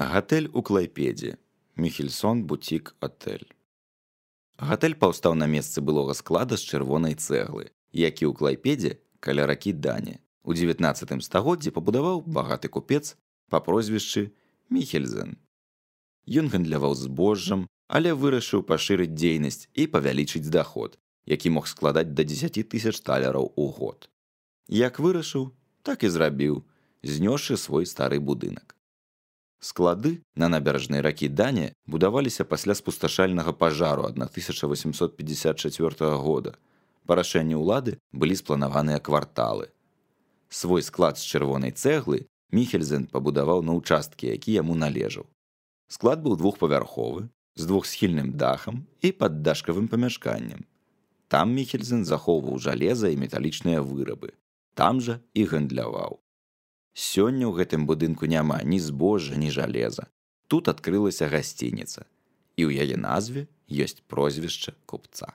Гатэль у Клайпедзе. Міхельсон бутік отель. Гатэль паўстаў на месцы былога склада з чырвонай цэглы, які ў Клайпедзе каля ракі Дані. У 19 стагоддзі пабудаваў багаты купец па прозвішчы Міхельзен. Ён гандляваў збожжам, але вырашыў пашырыць дзейнасць і павялічыць даход, які мог складаць да 10 000 талераў у год. Як вырашыў, так і зрабіў, знёсшы свой стары будынак. Склады на набярэжнай ракі Дані будаваліся пасля спусташальнага пажару 1854 года. Па рашэнні ўлады былі спланаваныя кварталы. Свой склад з чырвонай цэглы Міхельзен пабудаваў на ўчасткі, які яму належаў. Склад быў двухпавярховы, з двухсхільным дахам і паддашкавым памяшканнем. Там Міхельзен захоўваў жалеза і металічныя вырабы. Там жа і гандляваў. Сёння ў гэтым будынку няма ні збожжа, ні жалеза. Тут адкрылася гасцініца, і ў яе назве ёсць прозвішча купца.